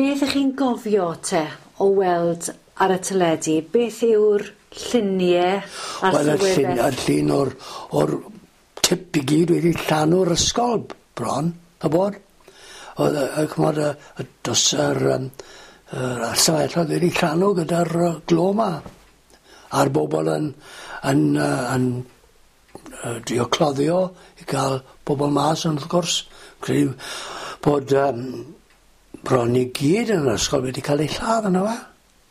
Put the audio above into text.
Beth ych chi'n gofio te o weld ar y teledu? Beth yw'r llunie a'r Wel y llun sylwedde? y llun o'r o'r tip i gyd wedi llanw'r ysgol bron, ch'bod? O'dd yy yy ch'mod y y dws yr yym yr ystafelloedd wedi llanw gyda'r yy glo 'ma. A'r bobol yn yn yy yn yy drio cloddio i ga'l bobol mas ond wrth gwrs credu bod yym bron i gyd yn yr ysgol wedi ca'l eu lladd on' yfe?